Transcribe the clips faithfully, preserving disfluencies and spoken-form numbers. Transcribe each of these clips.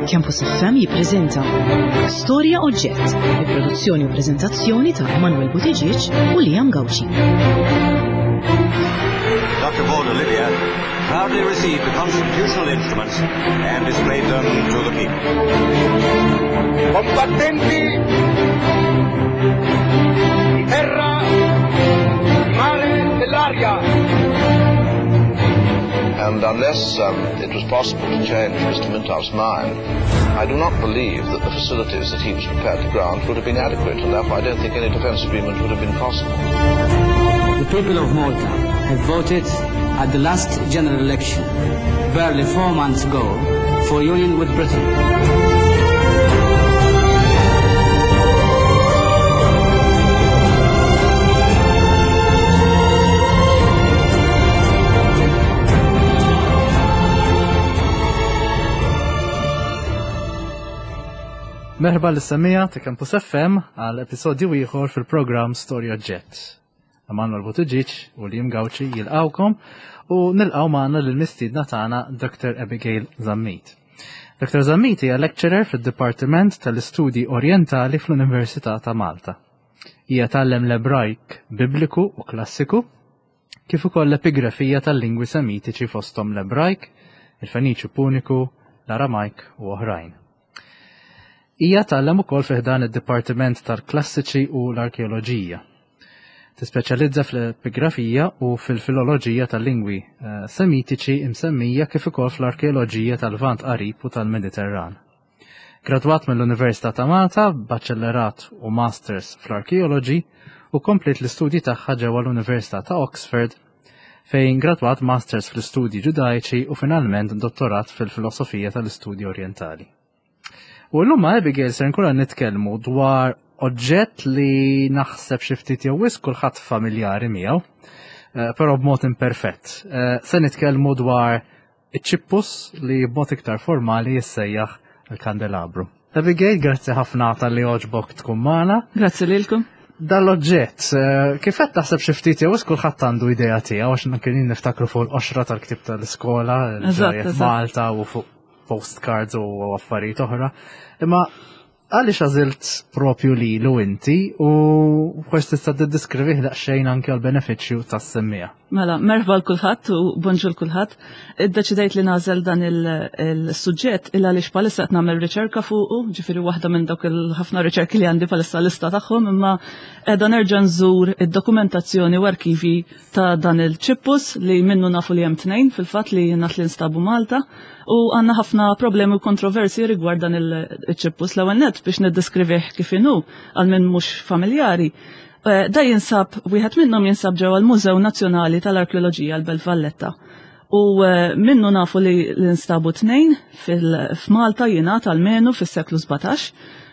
Campus F M jippreżenta Storja Oġġett, bi produzzjoni u preżentazzjoni ta' Emanuel Buttigieg u Liam Gauci. Doctor Paul Olivia proudly received the constitutional instruments and displayed them to the people. Combattenti di terra, di mare e dell'aria. And unless, um, it was possible to change Mister Mintoff's mind, I do not believe that the facilities that he was prepared to grant would have been adequate, and therefore I don't think any defence agreement would have been possible. The people of Malta have voted at the last general election, barely four months ago, for union with Britain. Merħba l-semija ta' Campus F M għal episodju ieħor fil-programm Storja Oġġett. Emanuel Buttigieg u Liam Gauci jilqawkom u nilqaw magħna lill-mistiedna tagħna Doctor Abigail Zammit. Doctor Zammit hija lecturer fid-Dipartiment tal-Istudji Orientali fl-Università ta' Malta. Hija tgħallem l-Ebrajk Bibliku u Klassiku, kif ukoll l-epigrafija tal-lingwi Semitiċi fosthom l-Ebrajk, il-Feniċju Puniku, l-Aramajk u oħrajn. Hija tgħallem ukoll fi ħdan id-Dipartiment tal-Klassiċi u l-Arkeoloġija. Tispeċjalizza fl-epigrafija u fil-filoloġija tal-lingwi, eh, Semitiċi imsemmija kif ukoll fl-arkeoloġija tal-Lvant Qarib u tal-Mediterran. Gradwat mill-Università ta' Malta, baċellerat u Masters fl-Arkeoloġi u komplet l-istudji tagħha ġewwa l-Università ta' Oxford fejn gradwat Masters fl-Istudji Ġudaiċi u finalment dottorat fil-Filosofija tal-Istudji Orientali. U llum ma' Abigail ser nkunu nitkellmu dwar oġġett li naħseb xi ftit jew wisq kulħadd familjari miegħu, eh, però b'mod imperfett. Eh, se nitkellmu dwar iċ-ċippus li b'mod iktar formali jissejjaħ il-kandelabru. Abigail, grazzi ħafna tal-li għoġbok tkun magħna. Grazzi lilkom. Dal-oġġett, eh, kif qed taħseb xi ftit jew wisq kulħadd għandu idea tiegħu għax kien niftakru fuq l-qoxra tal-ktieb tal-iskola, Eżatt, ġrajjet eżatt. Malta u fuq postcards u affarijiet oħra. Imma għaliex għażilt propju lilu inti u forsi tista' tiddiskrivih daqsxejn anke għall-benefiċċju tas-semmiegħa. Mela, merħba l kulħadd u bonġu l kulħadd. Iddeċidejt li nagħżel dan il-, il-suġġett il għaliex bħalissa qed nagħmel riċerka fuqu, ġifieri waħda minn dawk il-ħafna riċerki li għandi bħalissa lista tagħhom, imma qiegħda nerġa' nżur id-dokumentazzjoni u arkivi ta' dan il-ċippus li minnu nafu li hemm tnejn fil-fatt li ngħad li nstabu Malta. U għandna ħafna problemi u kontroversi rigward dan il-ċippus. L-ewwel nett biex niddeskrivih kif inhu għal min mhux familjari. Eh, da jinsab, wieħed minnhom jinsab ġewwa l-Mużew Nazzjonali tal-Arkeoloġija l-Belt Valletta. U, eh, minnu nafu li l-instabu tnejn fil-, f'Malta jingħad almenu fis-seklu sbatax.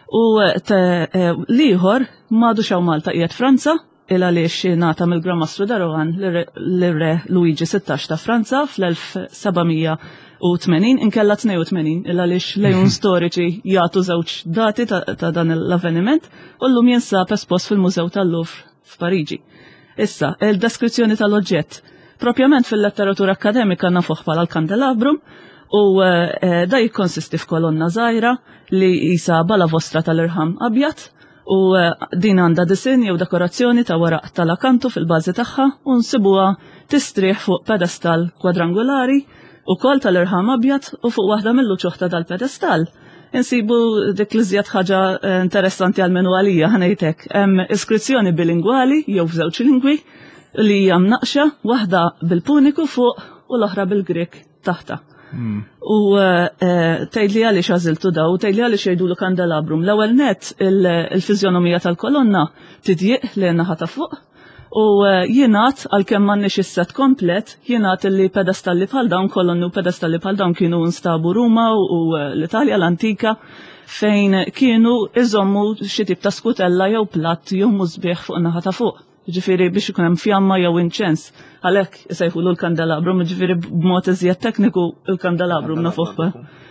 U, eh, te, eh, l-ieħor m'għadux hawn Malta qiegħed Franza, il għaliex ingħata mill-Gran Mastru de Rohan lir-Re Luigi sittax ta' Franza fl-elf seba' u tmenin, inkella tnejn u tmenin, il għaliex lejun storiċi jagħtu żewġ dati ta', ta' dan l-avveniment, u llum jinsab espost fil-Mużew tal-Louvre f'Pariġi. Issa, il-deskrizzjoni tal-oġġett. Propjament fil-letteratura akademika nafuh bħala l-kandelabrum, u, eh, da jikkonsisti f'kolonna żgħira li jisa bala vostra tal-irħam abjad, u, eh, din għandha disinn jew dekorazzjoni ta' waraq tal-akantu fil-bażi tagħha u nsibuha tistrieħ fuq pedestal kwadrangulari u kol tal-irħam abjad u fuq waħda mill-uċuħ ta' dal-pedestal. Insibu dik li żjed ħaġa, eh, interessanti għal menu għalija ħanejtek. Hemm iskrizzjoni bilingwali jew f'żewġ lingwi li hija mnaqxa, waħda bil-Puniku fuq u l-oħra bil-Grek taħta. Hmm. U, eh, eh, tgħidli għaliex għażiltu daw, tgħidli għaliex jgħidulu kandelabrum. L-ewwel nett il-, il-fiżjonomija tal-kolonna tidjiq lejn naħa ta' fuq. U, eh, jingħad, għalkemm m'għandniex is-set komplet, jingħad li pedestalli bħal dawn, kolonni u pedestalli bħal dawn kienu nstabu Ruma u, u, eh, l-Italja l-antika, fejn kienu iżommu xi tip ta' skutella jew platt jew musbieħ fuq naħa ta' fuq. Ġifieri biex ikun hemm fjamma jew inċens. Għalhekk isejħulu l-kandelabrum, ġifieri b'mod iżjed tekniku l-kandelabrum nafuh.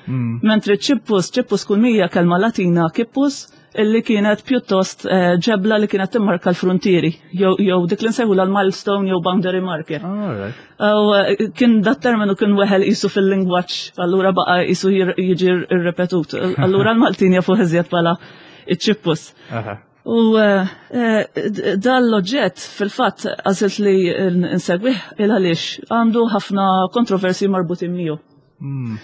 Mm. Mentri ċippus, ċippus kull mija kelma Latina kippus, Illi kienet pjuttost eh, ġebla li kienet timmarka l-frontieri, jew jew dik li nsejħu l-milestone jew boundary marker. Alright. U eh, kien dat terminu kien weħel qisu fil-lingwaġġ, allura baqa qisu jir- jiġi rrepetut. Allura l-Maltin jafu iżjed bħala iċ-ċippus. Aha. U eh, eh, d- dal-oġġett fil-fatt għażilt li nsegwih il għaliex għandu ħafna kontroversi marbutin miegħu. Mm.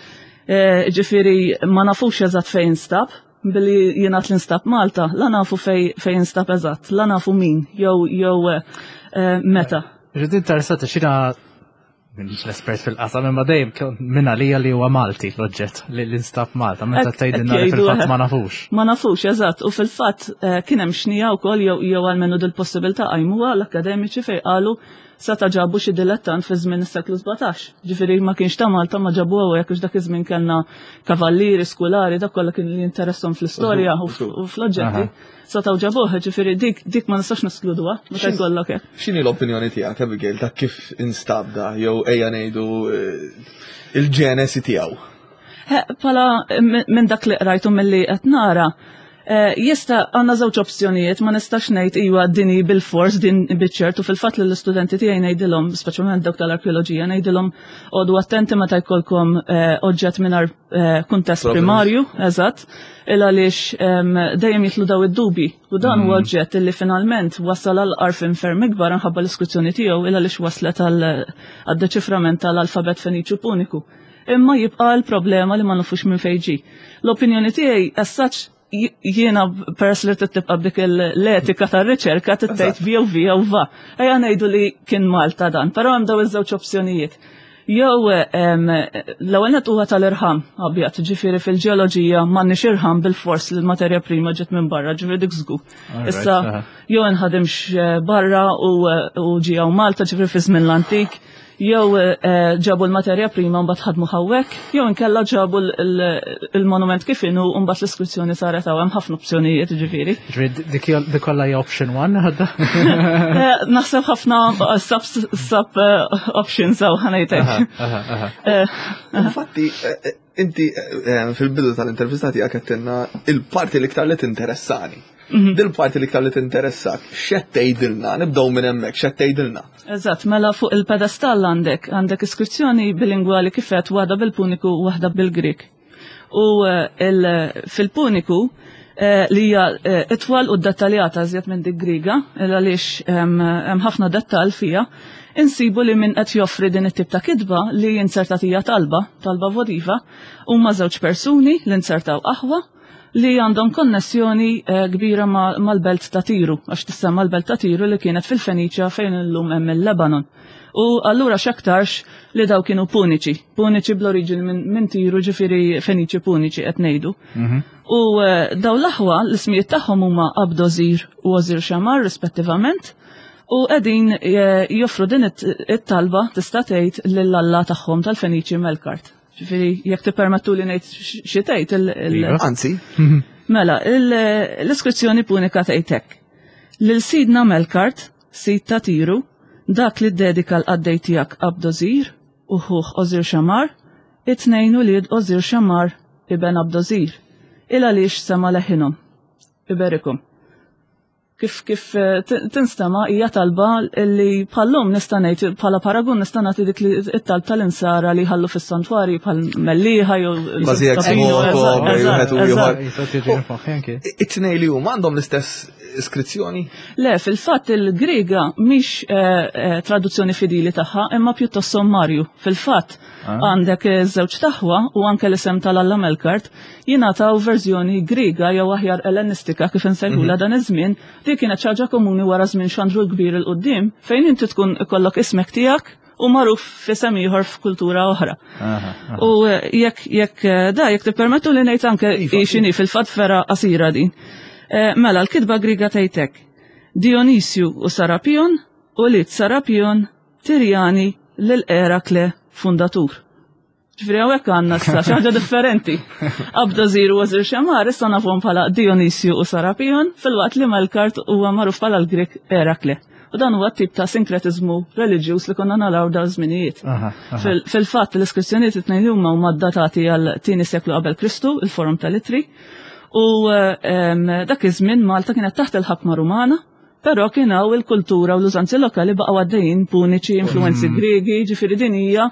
Eh, Ġifieri ma nafux eżatt fejn instab, billi jingħad li nstab Malta, la nafu fej fejn instab eżatt, la nafu min, jew jew eh, eh, meta. Ġiet interessati xina minix l-espert fil-qasam, imma dejjem kien minn għalija li huwa Malti l-oġġett li l-instab Malta, meta Ek- tgħidilna ek li jgħidu, fil-fatt eh. ma nafux. Ma nafux, eżatt, u fil-fatt eh, kien hemm xnija wkoll jew jew almenu dil-possibilità qajmuha l-akademiċi fejn qalu seta' ġabu xi dilettant fi żmien is-seklu sbatax. Ġifieri ma kienx ta' Malta ma ġabu hawnhekk għax dak iż-żmien kellna kavallieri, skulari, dak kollha kien li jinteresshom fl-istorja u f- u fl-oġġetti. Setgħu ġabuh, ġifieri dik dik ma nistax neskluduha meta jkollok hekk. X'inhi l-opinjoni tiegħek, Abigail, ta' kif instab da, jew ejja ngħidu eh, il-ġenesi tiegħu? Eh, Pala minn minn dak li qrajtu milli qed nara, eh, jista' għandna żewġ opzjonijiet, ma nistax ngħid iwa dini bil-fors din biċ-ċert u fil-fatt li l-istudenti tiegħi ngħidilhom, speċjalment dawk tal-arkeoloġija, ngħidilhom għodu attenti meta jkollkom eh, oġġett mingħajr eh, kuntest Provenance. primarju, eżatt, il għaliex em, dejjem jitlu daw id-dubi. U dan huwa oġġett illi finalment wasal għal għarfien ferm ikbar minħabba l-iskrizzjoni tiegħu il għaliex waslet għal għad-deċiframent tal-alfabet Feniċju Puniku. Imma jibqa l-problema li ma nafux minn fejn ġie. L-opinjoni tiegħi as such jiena peress li tibqa' b'dik l-etika tar-riċerka tgħid via u via u va. Ejja ngħidu li kien Malta dan, però hemm daw iż-żewġ opzjonijiet. Jew em, l-ewwel nett huwa tal-irħam abjad, ġifieri fil-ġeoloġija m'għandniex irħam bil-fors li l-materja prima ġiet minn barra, ġifieri dik żgur. Alright, Issa aha. jew inħadimx eh, barra u eh, u ġie hawn Malta ġifieri fi żmien l-antik, jew eh, ġabu l-materja prima mbagħad ħadmu hawnhekk, jew inkella ġabu l- l- il-monument kif inhu u mbagħad l-iskrizzjoni saret hawn, hemm ħafna opzjonijiet ġifieri. Ġifieri dik dik kollha hija option one għadda? Eh, Naħseb ħafna eh, sub sub eh, options hawn ħa ngħidlek. Aha, aha. Eh, Infatti, eh, eh, inti eh, fil-bidu tal-intervista tiegħek għedtilna il-parti l-iktar li tinteressani. Mhm. Dil-parti l-iktar li tinteressak, x'qed tgħidilna, nibdew minn hemmhekk, x'qed tgħidilna. Eżatt, mela fuq il-pedestall għandek, għandek iskrizzjoni bilingwali kifet waħda bil-Puniku u waħda bil-Grik. U eh, il- fil-Puniku eh, li hija eh, itwal u dettaljata iżjed minn dik Griga, il għaliex hemm hemm ħafna dettall fija, insibu li min qed joffri din it-tip ta' kitba li inzertat hija talba, talba votiva, huma żewġ persuni li inzertaw aħwa li għandhom konnessjoni eh, kbira ma- mal-belt ta' Tiru, għax tissemma l-belt ta' Tiru li kienet fil-Feniċja fejn illum hemm il-Lebanon. U allura x'aktarx li daw kienu puniċi, puniċi bl-oriġini minn min Tiru, ġifieri Feniċi puniċi qed ngħidu. U eh, daw l-aħwa l-ismijiet tagħhom huma Abdozir u Ozir Xamar rispettivament. U qegħdin eh, joffru din it- it-talba tista' tgħid lill-alla tagħhom tal-Feniċi Melkart. Ġifieri jekk tippermettu li ngħid xi tgħid il- il- Iva. Anzi, Mela, il- l-iskrizzjoni punika tgħidlek. Lil sidna Melkart, sid ta' Tiru, dak li ddedika l-qaddej tiegħek Abdozir u ħuh Ozir Xamar, it-tnejn ulied Ozir Xamar iben Abdozir, il għaliex sema leħinhom. Iberikum. Kif kif eh, tin- tinstema hija talba li bħallum nista' ngħid bħala paragun nista' nagħti dik li it-talb tal-insara li ħallu fis-santwarji bħal Mellieħa jew Kważi jekk Sabino, smokom, eżatt, jew eżatt, wieħed u ieħor. eżatt. Jista' tiġi f'moħħi anki. it-tnejn li huma għandhom l-istess iskrizzjoni? Le, fil-fatt il-Griega mhix eh, eh, traduzzjoni fidili tagħha, imma pjuttost sommarju. Fil-fatt għandek iż-żewġ taħwa u anke l-isem tal-Alla Melkart jingħataw verżjoni Griega jew aħjar Ellenistika kif insejħulha dan iż-żmien, li kienet xi ħaġa komuni wara żmien Xandru l-Kbir il qudiem fejn inti tkun ikollok ismek tiegħek u magħruf f'isem ieħor f'kultura oħra. Aha, aha. U eh, jekk jekk eh, da jekk tippermettu li ngħid anke x'inhi fil-fatt vera qasira din. Eh, Mela l-kitba Griega tgħidlek. Dionisju u Sarapion u lit Sarapion Tirjani lil Erakle fundatur. Ġifieri hawnhekk għandna issa xi ħaġa differenti. Abdozir u Għażir Xamar issa nafhom bħala Dionisju u Sarapion filwaqt li Melkart huwa magħruf bħala l-Grek Erakle. U dan huwa tip ta' sinkretizmu reliġjuż li konna naraw dawn żminijiet. Aha, aha. Fil- Fil-fatt l-iskrizzjonijiet it-tnejn huma huma datati għal tieni seklu qabel Kristu, il-forum tal-Itri, U dak iż-żmien Malta kienet taħt il-ħakma Rumana, però kien hawn il-kultura u l-użanzi lokali baqgħu għaddejjin puniċi, influenzi Griegi, ġifieri din hija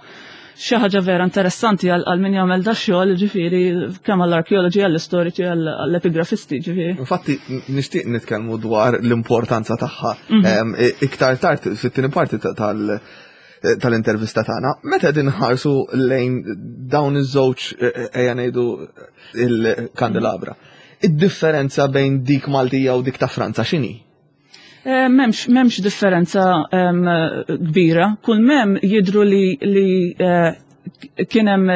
xi ħaġa vera interessanti għal min jagħmel da xogħol, ġifieri kemm għall-arkeoloġi, għall-istoriċi, għall-epigrafisti, ġifieri. Infatti nixtieq nitkellmu dwar l-importanza tagħha iktar tard fit-tieni parti tal tal-intervista tagħna. Meta qegħdin nħarsu lejn dawn iż-żewġ ejja ngħidu il-kandelabra. Id-differenza bejn dik Maltija u dik ta' Franza x'inhi? Memx, memx differenza kbira. Kull mem jidru li, li kien hemm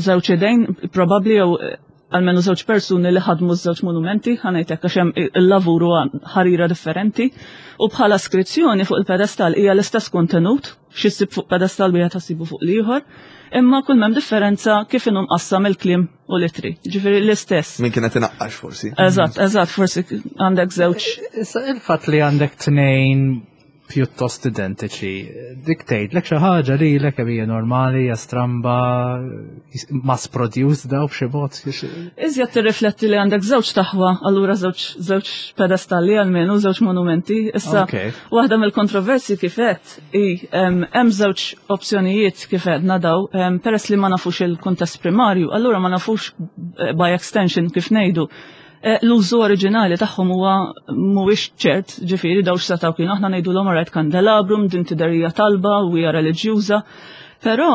żewġ idejn, probabbli jew almenu żewġ persuni li ħadmu żewġ monumenti, ħanejtek għax hemm il-lavuru ħarira differenti, u bħala skrizzjoni fuq il-pedestal hija l-istess kontenut, xi ssib fuq pedestal wieħed ħassibu fuq l-ieħor, imma kull m'hemm differenza kif inhu mqassam il-kliem u l-ittri. Ġifieri l-istess. Min kienet inaqqax forsi. Eżatt, eżatt, forsi għandek żewġ. Issa il-fatt li għandek tnejn pjuttost identiċi, dik tgħidlek xi ħaġa lilek kemm hija normali, hija stramba, mass produced daw b'xi mod. Iżjed tirrifletti li għandek żewġ taħwa, allura żewġ żewġ pedestalli almenu, żewġ monumenti. Issa waħda mill-kontroversi kif qed hi hemm żewġ opzjonijiet kif għedna daw, peress li ma nafux il-kuntest primarju, allura ma nafux by extension kif ngħidu. L-użu oriġinali tagħhom huwa mhuwiex ċert, ġifieri daw x'setgħu kienu aħna ngħidulhom rajt kandelabrum, din tidher hija talba u hija reliġjuża, però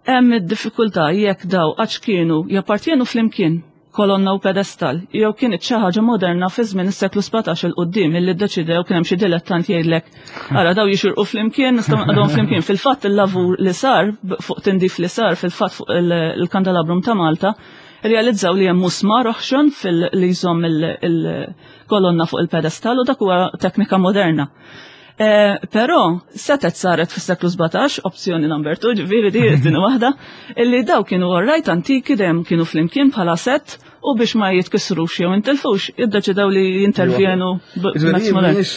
hemm id-diffikultà jekk daw għax kienu jappartjenu flimkien kolonna u pedestal, jew kienet xi ħaġa moderna fi żmien is-seklu sbatax il quddiem illi ddeċidew kien hemm xi dilettant jgħidlek ara daw jixirqu flimkien, nistgħu nqadhom flimkien. Fil-fatt il-lavur li sar fuq tindif li sar fil-fatt fuq il-kandelabrum ta' Malta realizzaw li hemm musmar oħxon fil-li jżomm il-kolonna fuq il-pedestal u dak huwa teknika moderna. Però setet saret fis-seklu sbatax, opzjoni number two, ġifieri di din waħda, illi daw kienu orrajt antiki dejjem kienu flimkien bħala set u biex ma jitkissrux jew intilfux, iddeċidew li jintervjenu b'mezz modern. Mhix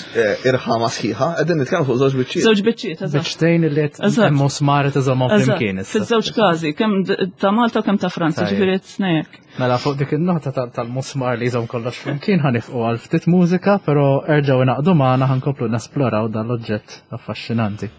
irħama sħiħa, qegħdin nitkellmu fuq żewġ biċċiet. Żewġ biċċiet, eżatt. Biċċtejn li qed hemm musmar iżommhom flimkien. Fiż-żewġ każi, kemm ta' Malta u kemm ta' Franza, ġifieri tnejn. Mela fuq dik in-nota tal-musmar li jżomm kollox flimkien ħanifqu għal ftit mużika, però erġgħu ingħaqdu magħna ħankomplu nesploraw dan l-oġġett affaxxinanti.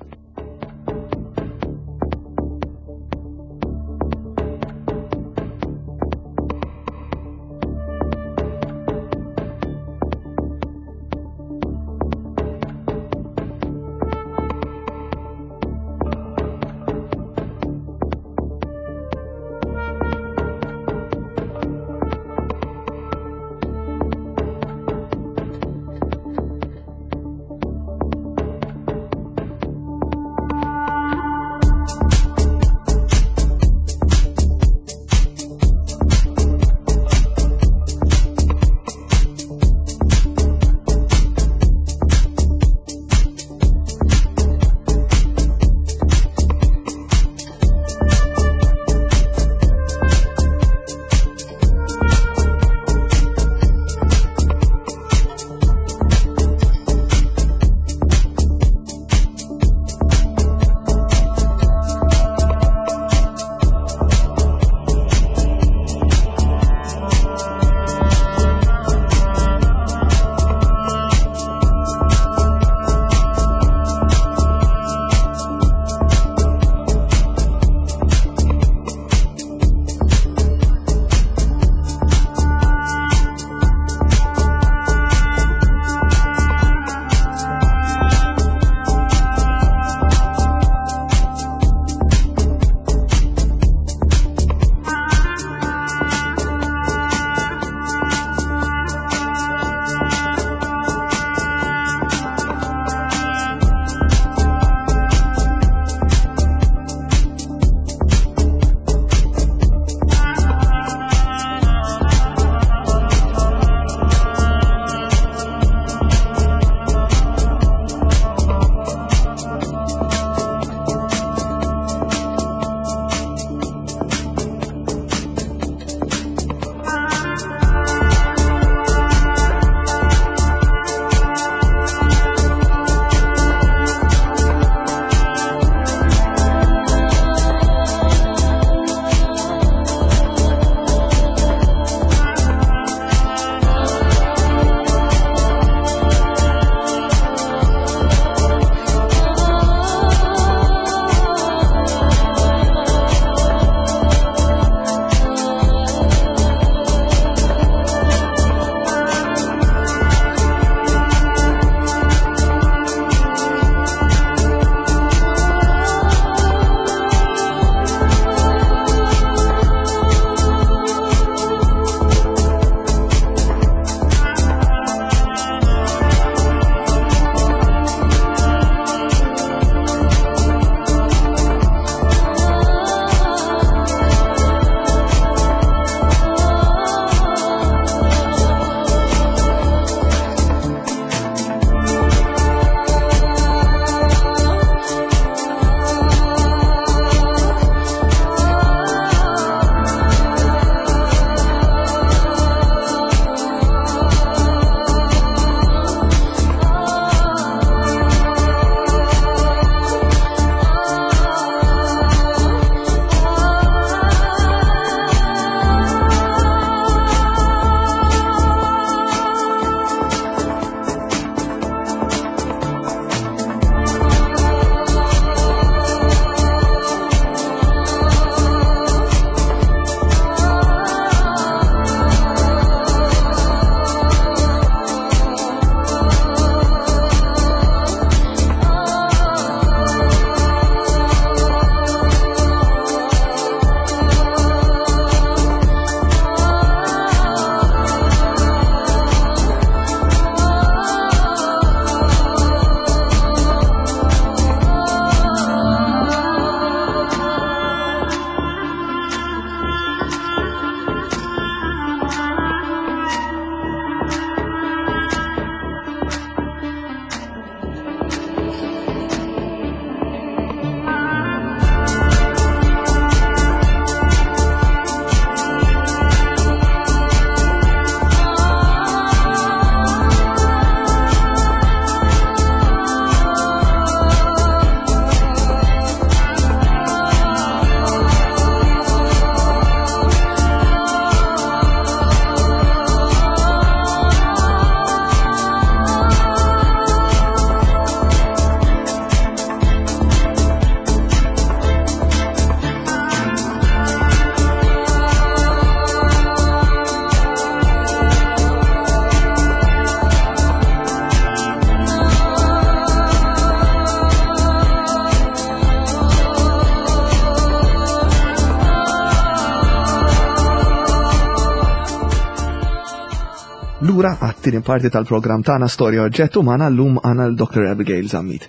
Lura għat-tieni parti tal-programm tagħna Storja Oġġett u magħna llum għandna l-Dr. Abigail Zammit.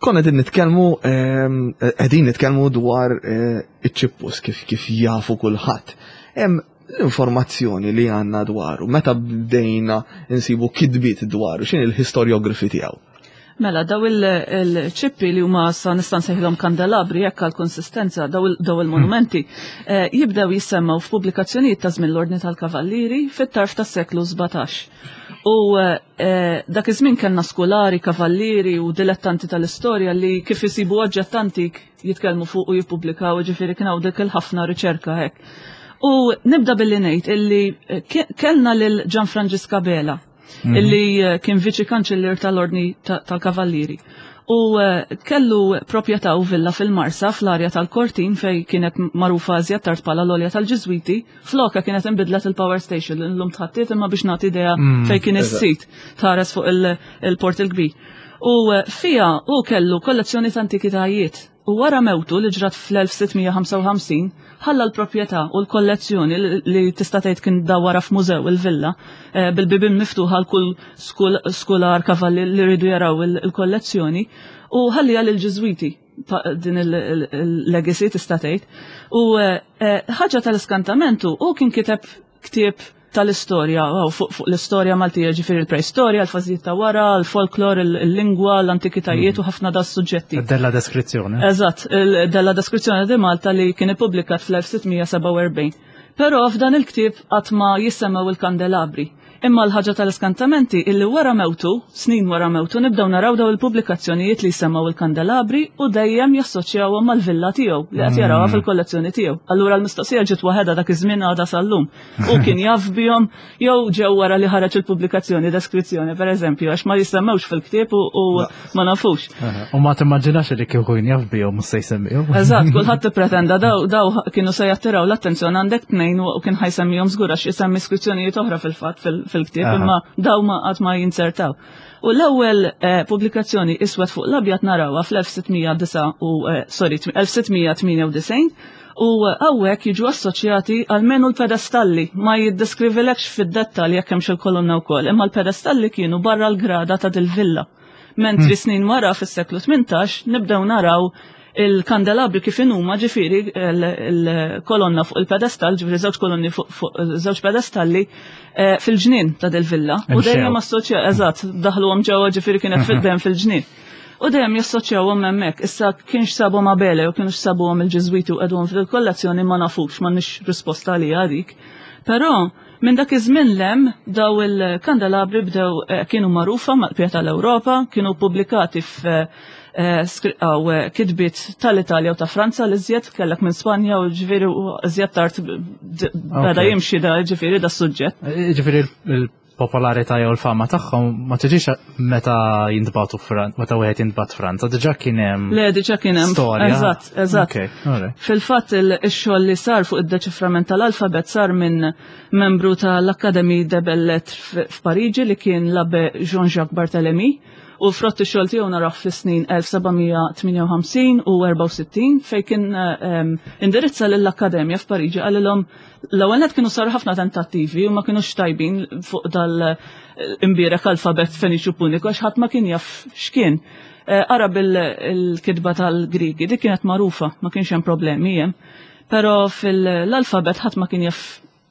Konna qegħdin nitkellmu ehm, qegħdin nitkellmu dwar eh, iċ-ċippus kif kif jafu kulħadd. Hemm l-informazzjoni li għandna dwaru, meta bdejna nsibu kitbiet dwaru, x'inhi l-historiography tiegħu? Mela, daw il-ċippi li huma sa nista' nsejħilhom kandelabri jekk għal konsistenza daw il-monumenti eh, jibdew jissemmaw f'pubblikazzjonijiet ta' żmien l-Ordni tal-Kavallieri fit-tarf tas-seklu sbatax. U eh, dak iż-żmien kellna skolari, kavallieri u dilettanti tal-istorja li kif isibu oġġett antik jitkellmu fuq u jippubblikaw, ġifieri kien hawn dik il-ħafna riċerka hekk. U nibda billi ngħid illi eh, kellna lil Gianfrancisca Bela, mhm. illi eh, kien viċi kanċellier tal-Ordni tal-Kavallieri. U eh, kellu proprjetà u villa fil-Marsa fl-arja tal-Kortin fej kienet magħrufa iżjed tard bħala l-olja tal-Ġiżwiti, floka kienet inbidlet il-power station l-lum tħattiet imma biex nagħti idea mm, fej kien is-sit tħares fuq il-port il-kbir. U eh, fija u kellu kollezzjoni ta' antikitajiet. U wara mewtu li ġrat fl-elf sitt mija ħamsa u ħamsin, ħalla l-proprjetà u l-kollezzjoni li tista' tgħid kien dawwara f'mużew il-villa, eh, bil-bibien miftuħa għal kull skular kavalli li rridu jaraw il-kollezzjoni, u ħallija lil Ġiżwiti din il-legacy tista' tgħid. U, eh, eh, ħaġa tal-iskantamentu, u kien kiteb ktieb tal-istorja, wow, fuq, fuq l-istorja Maltija, ġifieri l-preistorja, l-fażijiet ta' wara, l-folklor, il-lingwa, l-antikitajiet u ħafna da' suġġetti. Della deskrizzjoni. Eżatt, della deskrizzjoni di Malta li kien ippubblikat fl-elf sitt mija seba' u erbgħin. Però f'dan il-ktieb qatt ma jissemmew il-kandelabri. Imma l-ħaġa tal-iskantamenti illi wara mewtu, snin wara mewtu, nibdew naraw daw il-pubblikazzjonijiet li jsemmaw il-kandelabri u dejjem jassoċjawhom mal-villa tiegħu li qed jarawha fil-kollezzjoni tiegħu. Allura l-mistoqsija ġiet waħedha dak iż-żmien għadha sal-lum. U kien jaf bihom jew ġew wara li ħareġ il-pubblikazzjoni deskrizzjoni, pereżempju, għax ma jissemmewx fil-ktieb u, u ma nafux. Aha. U ma timmaġinax li kieku kien jaf bihom mhux se jsemmihom. Eżatt, kulħadd tippretenda daw, daw kienu se jattiraw l-attenzjoni għandek tnejn u kien ħajsemmihom żgur għax isemmi skrizzjonijiet oħra fil-fatt fil-, fil-ktieb, Aha. imma daw ma qatt ma jinzertaw. U l-ewwel, eh, pubblikazzjoni iswed fuq l-abjad narawha fl-elf sitt mija disa u, eh, sorry, tm-, elf sitt mija tmienja u disgħin, u hawnhekk jiġu assoċjati għalmenu l-pedestalli, ma jiddeskrivilekx fid-dettall jekk hemmx il-kolonna wkoll, imma l-pedestalli kienu barra l-grada ta' dil-villa. Mentri Hmm. snin wara fis-seklu tmintax nibdew naraw il-kandelabri kif inhuma, ġifieri il-kolonna fuq il-pedestall, ġifieri żewġ kolonni fuq, fuq żewġ pedestalli, eh, fil-ġnien ta' dil-villa. U Imxew. dejjem assoċja, eżatt, daħluhom ġewwa, ġifieri kienet fid-dem fil-ġnien. U dejjem jassoċjawhom hemmhekk. Issa kienx sabhom Abele u kienx sabuhom il-Ġiżwiti u qegħduhom fil-kollezzjoni ma nafux, m'għandniex risposta għalija dik. Però minn dak iż-żmien lem daw il-kandelabri bdew, eh, kienu magħrufa mal-qbija tal-Ewropa, kienu pubblikati f-, eh, skri-, aw, eh, kitbiet tal-Italja u ta' Franza li żjed kellek minn Spanja u ġifieri u żjed tard b-, d-, beda Ok. jimxi da ġifieri da suġġett. Eh, Ġifieri il-popolarità jew l-fama tagħhom ma tiġix meta jintbagħtu Fran-, meta wieħed jintbagħat Franza, diġà kien hemm Le, diġà kien hemm storja. Eżatt, eżatt. Ok, all right. Fil-fatt il-, ix-xogħol li sar fuq id-deċiframent tal-alfabet sar minn membru tal-Académie des Belles Lettres f-, f'Pariġi li kien l-abbe Jean-Jacques Barthélemy, u frott ix-xogħol tiegħu naraw fis-snin elf seba' mija tmienja u ħamsin u erbgħa u sittin fejn kien, ehm, indirizza lill-Akkademja f'Pariġi, qalilhom l-ewwel nett kienu saru ħafna tentattivi u ma kinux tajbin fuq dal-imbierek alfabet Feniċu Puniku għax ħadd ma kien jaf x'kien. Eh, ara bil-kitba tal-Grigi, dik kienet magħrufa, ma kienx hemm problemi hemm. Però fil-alfabet ħadd ma kien jaf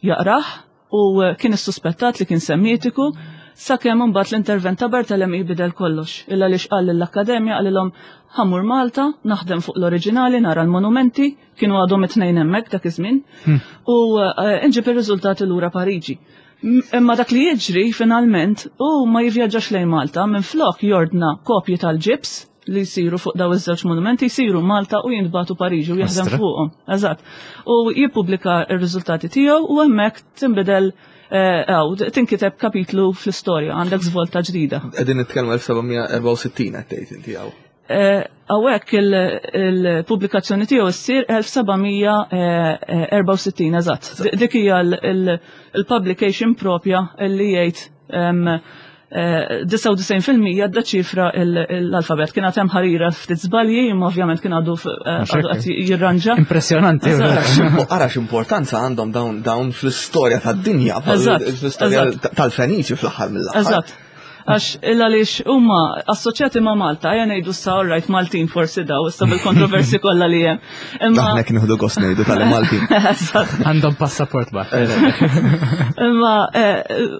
jaqrah u kien issuspettat li kien semitiku, sakemm imbagħad l-intervent ta' Barthélemy bidel kollox. Illa li xqal lill-Akkademja qalilhom ħammur Malta, naħdem fuq l-oriġinali, nara l-monumenti, kienu għadhom it-tnejn hemmhekk dak iż-żmien, Hmm. u, eh, nġib ir-riżultati lura Pariġi. M-, imma dak li jiġri finalment u ma jivvjaġġax lejn Malta, minflok jordna kopji tal-ġibs li jsiru fuq daw iż-żewġ monumenti, jsiru Malta u jintbagħtu Pariġi u jaħdem Astra. fuqhom. Eżatt. U jippubblika r-riżultati tiegħu u hemmhekk tinbidel, eh, aw, tinkiteb kapitlu fl-istorja, għandek żvolta ġdida. Qegħdin nitkellmu elf seba' mija erbgħa u sittin qed tgħid inti hawn. Eh, hawnhekk il-, il-pubblikazzjoni tiegħu ssir elf seba' mija, eh, eh, erbgħa u sittin, eżatt. Dik hija l-, il-, il-publication propja li jgħid, em, disgħa u disgħin fil-mija ddeċifra l-alfabet. Kien għad hemm ħarira ftit żbalji, imma ovvjament kien għadu għadu qed jirranġa. Impressjonanti. Ara x'importanza għandhom dawn dawn fl-istorja tad-dinja, fl-istorja tal-Feniċi fl-aħħar mill-aħħar. Eżatt. Għax il-għaliex huma assoċjati ma' Malta, ejja ngħidu sa all right Maltin forsi daw, issa bil-kontroversi kollha li hemm. Imma aħna kien nieħdu gost ngħidu tal-Maltin. Għandhom passaport ba. Imma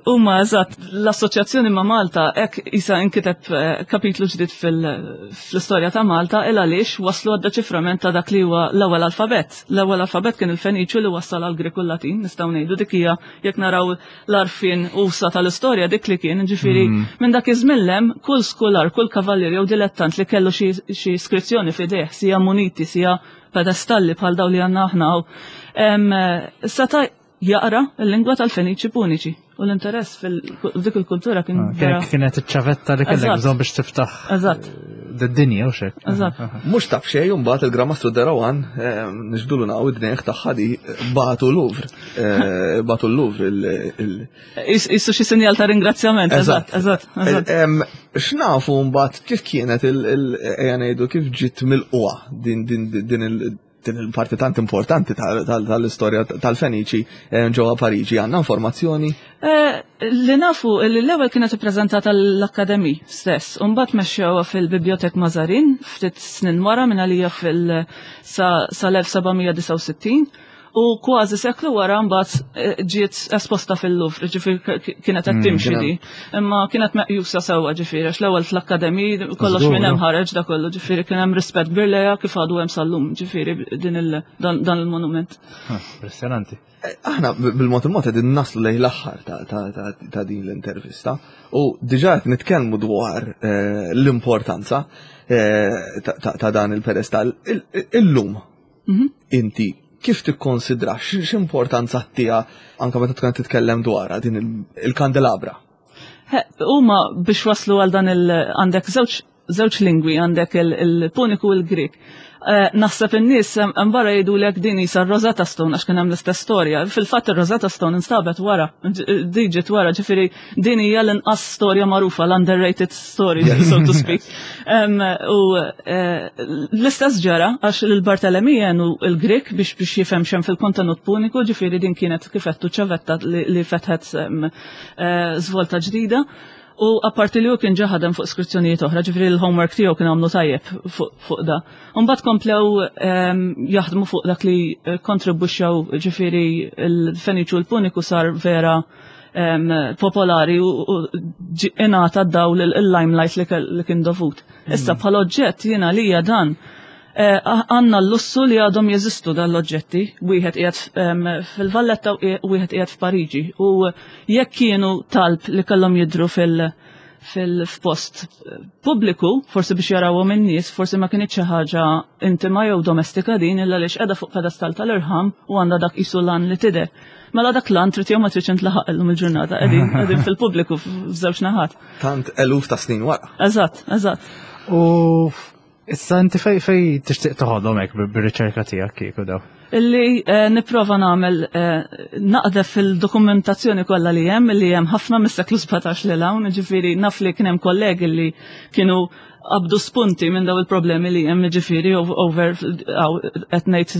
huma eżatt l-assoċjazzjoni ma' Malta hekk isa inkiteb kapitlu ġdid fl-istorja ta' Malta il għaliex waslu għad-deċiframent ta' dak li huwa l-ewwel alfabett. L-ewwel alfabett kien il-Feniċju li wassal għall Grek u l-Latin, nistgħu ngħidu dik hija jekk naraw l-arfin usa tal-istorja dik li kien, ġifieri minn dak iż-żmien kull skolar, kull kavallier jew dilettant li kellu xi iskrizzjoni f'idejh, sija muniti, sija pedestalli bħal daw li għandna aħna, seta' jaqra l-lingwa tal-Feniċi Puniċi. U l-interess fil-dik il-kultura kien vera. Kienet iċ-ċavetta li kellek bżonn biex tiftaħ d-dinja u xek. Eżatt. Mhux taf xejn imbagħad il-Gran Mastru de Rohan niġbdulu naqgħu id-dnejh tagħha di bagħtu Louvre. Bagħtu l-Louvre il Issu xi sinjal ta' ringrazzjament. Eżatt, eżatt. X'nafu mbagħad kif kienet il ejja ngħidu kif ġiet mill-qwa din din din il din il-parti tant importanti tal-istorja tal-Feniċi ġewwa Pariġi, għandna informazzjoni? Li nafu li l-ewwel kienet ippreżentata l-Akkademi stess, u mbagħad mexxewha fil-Bibliotek Mazarin ftit snin wara minn għalija fil sal-elf seba' mija disgħa u sittin, u kważi seklu wara mbagħad ġiet esposta fil-Louvre, ġifieri kienet qed timxi di. Imma kienet meqjusa sewwa ġifieri għax l-ewwel fl-akkademi kollox minn hemm ħareġ da kollu, ġifieri kien hemm rispett kbir lejha kif għadu hemm sal-lum, ġifieri din dan il-monument. Impressjonanti. Aħna bil-mod il-mod qegħdin naslu lejn l-aħħar ta' din l-intervista u diġà qed nitkellmu dwar l-importanza ta' dan il-pedestal. Illum inti kif tikkonsidra x'importanza tiegħha anke meta tkun titkellem dwarha din il-kandelabra? Huma biex waslu għal dan il għandek żewġ żewġ lingwi, għandek il-Puniku u l-Grek. Naħseb in-nies hemm barra jgħidulek din isa r-Rosetta Stone għax kien hemm l-istess storja. Fil-fatt ir-Rosetta Stone instabet wara, di ġiet wara, ġifieri din hija l-inqas storja magħrufa, l-underrated story, so to speak. U l-istess ġara għax il-Bartolomej għenu l-Grek biex biex jifhem x'hemm fil-kontenut Puniku, ġifieri din kienet kif għedtu ċavetta li fetħet żvolta ġdida. U apparti li hu kien ġa ħadem fuq skrizzjonijiet oħra, ġifieri l-homework tiegħu kien għamlu tajjeb fuq da. Imbagħad komplew jaħdmu fuq dak li kontribwixxew, ġifieri l-Feniċu u l-Puniku sar vera popolari u ingħata dawl il-limelight li kien dovut. Issa bħala oġġett jiena lija dan għandna l-lussu li għadhom jeżistu dan l-oġġetti, wieħed qiegħed fil-Valletta u wieħed qiegħed f'Pariġi. U jekk kienu talb li kellhom jidhru fil-post pubbliku, forsi biex jarawhom in-nies, forsi ma kienx xi ħaġa intima jew domestika din, illa għaliex qiegħda fuq pedestal tal-irħam u għandha dak qisu lan li tidher. Mela dak lan trid jew ma tridx intlaħaq illum il-ġurnata, qegħdin qegħdin fil-pubbliku f'żewġ naħat. Tant eluf ta' snin wara. Eżatt, eżatt. U issa inti fej fej tixtieq toħodhom hekk bir-riċerka tiegħek kieku daw? Illi nipprova nagħmel naqdef fil-dokumentazzjoni kollha li hemm, li hemm ħafna mis-seklu sbatax lil hawn, ġifieri naf li kien hemm kollegi li kienu qabdu spunti minn daw il-problemi li hemm, ġifieri over qed ngħid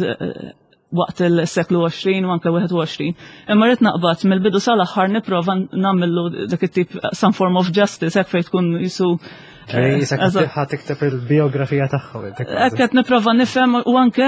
waqt il-seklu għoxrin u anke wieħed u għoxrin. Imma rrid naqbad mill-bidu sal-aħħar nipprova nagħmillu dak it-tip some form of justice hekk fejn tkun jisu. Ħa tikteb il-biografija tagħhom. Hekk qed nipprova nifhem u anke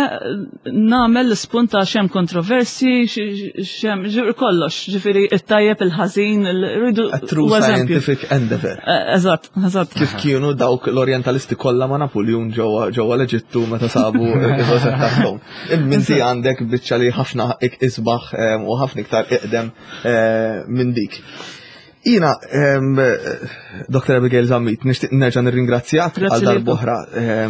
nagħmel l-ispunt ta' x'hemm kontroversi, x'hemm kollox, ġifieri it-tajjeb, il-ħażin, rridu. A true scientific endeavor. Eżatt, eżatt. Kif kienu dawk l-orientalisti kollha ma' Napoleon ġewwa l-Eġittu meta sabu ir-Rosetta Stone. Imminti għandek biċċa li ħafna isbaħ u ħafna iktar iqdem minn dik. Jina, Doktor Abigail Zammit, nixtieq nerġa' nirringrazzjak għal darb'oħra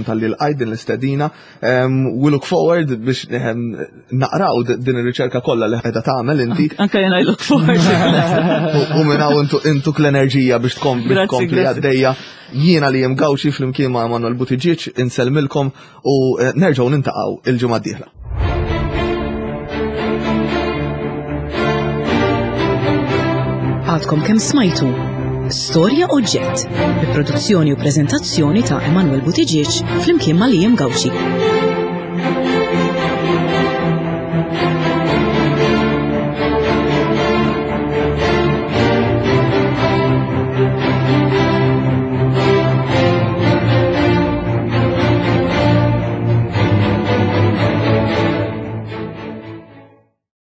talli lqajt din l-istedina. We look forward biex naqraw din ir-riċerka kollha li qiegħda tagħmel inti. Anke jiena I look forward. U minn hawn intuk l-enerġija biex tkompli tkompli għaddejja. Jiena li jem Gauci flimkien ma' Manuel Buttigieg insellmilkom u nerġgħu nintaqgħu il-ġimgħa d-dieħla. Għadkom kemm smajtu Storja Oġġett, bi produzzjoni u preżentazzjoni ta' Emanuel Buttigieg flimkien ma' Liam Gauci.